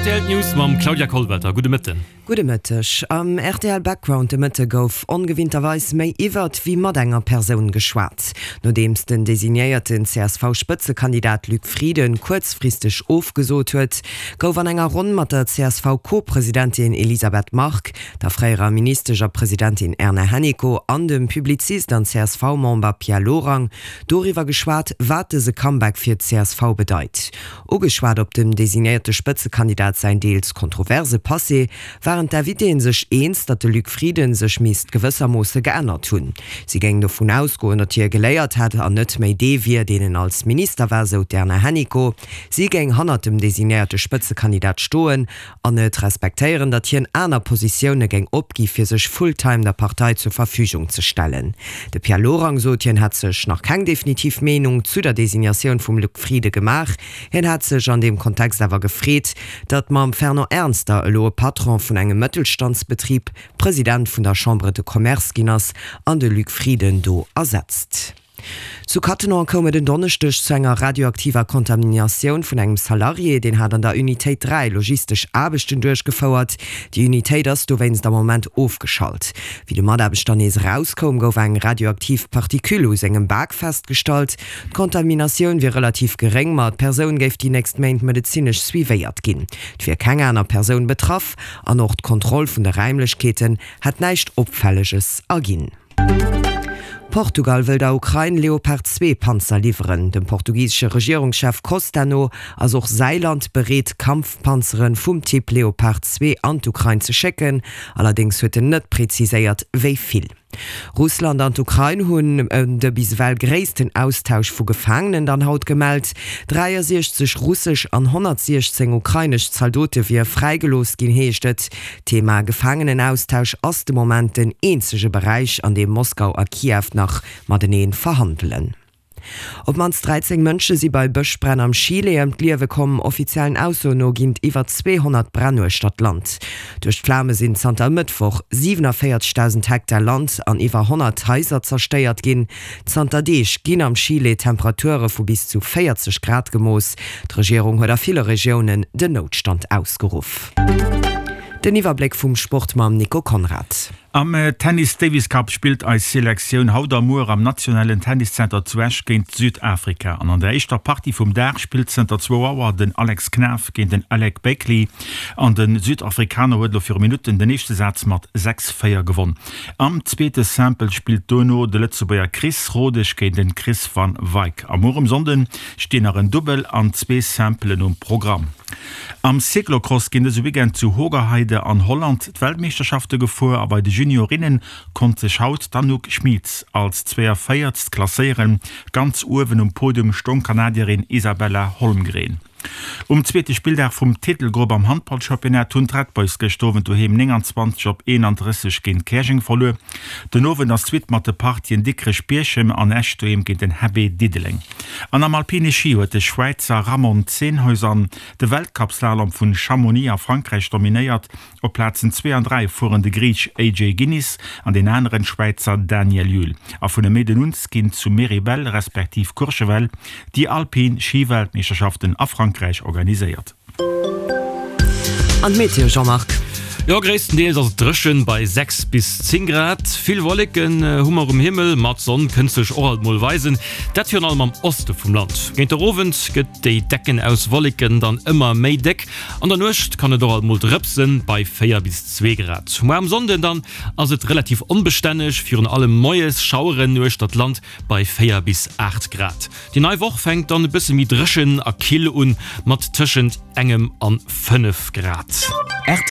Rtl News mam Claudia Kollwelter. Gudde Mëtten. Gudde Mëtteg. Am rtl Background de Mëtte gouf ongewinnterweis méi iwwert wéi mat enger Persoun geschwat. Nodeems den designéierten CSV-Spëtzekandidat Luc Frieden kuerzfristeg ofgesot huet, gouf an enger Ronn mat der CSV-Co-Presidentin Elisabeth Margue, der fréierer Ministesch a Presidentin Erna Hennicot an dem Publizist an CSV-Member Pierre Lorang doriwwer geschwat, wat dëse Comeback fir d'CSV bedeit. Ugeschwat op dem designéierte Spëtzekandidat säin deels kontroverse Passé, waren d'Invitéen sech eens, datt de Luc Frieden sech misst gewëssermoosse geännert hunn. Si géing dovun ausgoen, datt hie geléiert hätt an net méi dee wier, deen en als Minister war, sou d'Erna Hennicot. Si géing hannert dem designéierte Spëtzekandidat stoen an et respektéieren, datt hien aner Positioune géing opgi fir sech full-time der Partei zur Verfügung ze stellen. De Pierre Lorang sot, hien hätt sech nach keng definitiv Meenung zu der Designatioun vum Luc Frieden gemaach. Hien hätt sech an deem Kontext awer gefreet, datt mam Fernand Ernster elo e Patron vun engem Mëttelstandsbetrib President vun der Chambre de Commerce ginn ass an de Luc Frieden do ersetzt. Zu Cattenom koum et en Donneschdeg zu enger radioaktiver Kontaminatioun vun engem Salarié. Deen hat an der Unitéit 3 logistesch Aarbechten duerchgefouert. Déi Unitéit ass dowéinst am Moment ofgeschalt. Wéi de Mataarbechter nees erauskoum, gouf eng radioaktiv Particule u sengem Bak festgestallt. D'Kontaminatioun wier relativ geréng, ma d'Persoun géif déi nächst Méint medezinesch suivéiert ginn. Et wier keng aner Persoun betraff an och d'Kontroll vun de Räimlechkeeten hätt näischt Opfälleges erginn. Portugal wëll der Ukrain Leopard 2 Panzer liwweren. Dem portugisesche Regierungschef Costa no ass och säi Land bereet, Kampfpanzere vum Typ Leopard 2 an d'Ukrain ze schécken. Allerdéngs huet en net preziséiert, wéi vill. Russland an d'Ukrain hunn de bis ewell gréissten Austausch vu Gefaangenen dann haut gemellt. 63 russesch an 116 ukrainesch Zaldote wier fräigelooss ginn, heescht et. D'Thema Gefaangenenaustausch ass de Moment den eenzege Beräich, an deem Moskau a Kiew nach matenee verhandelen. Op d'mannst 13 Mënsche si bei Bëschbränn am Chile ëm d'Liewe komm. Offiziellen Aussoen no ginn et iwwer 200 Bränn uechter d'Land. Duerch d'Flame sinn zanter e Mëttwoch 47.000 Hektar Land an iwwer 100 Haiser zerstéiert ginn. Zanter Deeg ginn am Chile Temperature vu bis zu 40 Grad gemooss. D'Regierung huet a ville Regiounen den Noutstand ausgeruff. Den Iwwerbléck vum Sport mam Nico Conrad. Am Tennis Davis Cup spillt eis Selektioun haut a muer am nationalen Tenniszenter zu Esch géint Südafrika. An an der éischter Partie vum Dag spillt zënter zwou Auer den Alex Knaff géint den Alec Bakley. An de Südafrikaner huet elo viru Minutten den éischte Saz mat 6, 4 gewonn. Am zweete Simple spillt dono de Lëtzebuerger Chris Rodesch géint den Chris van Wyk. A muer um Sonnden stinn nach en Dubbel an zwee Simpelen um Programm. Am Cyclocross ginn dëse Weekend zu Hoogerheide an Holland d'Weltmeeschterschafte gefuer a bei de Juniorinnen konnt sech haut d'Anouk Schmitz als 42. Klasséieren. Ganz uewen um Podium stoung d'Kanadierin Isabella Holmgren. Um zweete Spilldag vum Titelgrupp am Handballchampionnat hunn d'Red Boys gëscht Owend doheem 29 op 31 géint Käerjeng verluer. Den Owend ass d'Suite mat de Partien Dikrech-Bierchem an Esch doheem géint den HB Diddeleng. An am alpine Schi huet de Schwäizer Ramon Zenhäusern de Weltcup-Slalom vun Chamonix a Frankräich dominéiert. Op Plazen 2 an 3 fueren de Griich AJ Ginnis an deen aneren Schwäizer Daniel Yule. A vun e Méiden un ginn zu Méribel respektiv Courchevel déi alpin Schi-Weltmeeschterschaften a Frankräich organiséiert. An d'Meteo, Jean-Marc? Jo, gréisstendeels ass et dréchen bei 6 bis 10 Grad. Vill Wolleken hu mer um Himmel, ma d'Sonn kënnt sech och alt mol weisen, dat virun allem am Oste vum Land. Géint der Owend gëtt déi Decken aus Wolleken dann ëmmer méi déck. An der Nuecht kann et och alt mol drëpsen, bei 4 bis 2 Grad. Muer am Sonnden dann ass et relativ onbestänneg, virun allem moies Schaueren uechter d'Land bei 4 bis 8 Grad. Déi nei Woch fänkt dann e bësse méi dréchen a kill un, mat tëschent engem an 5 Grad.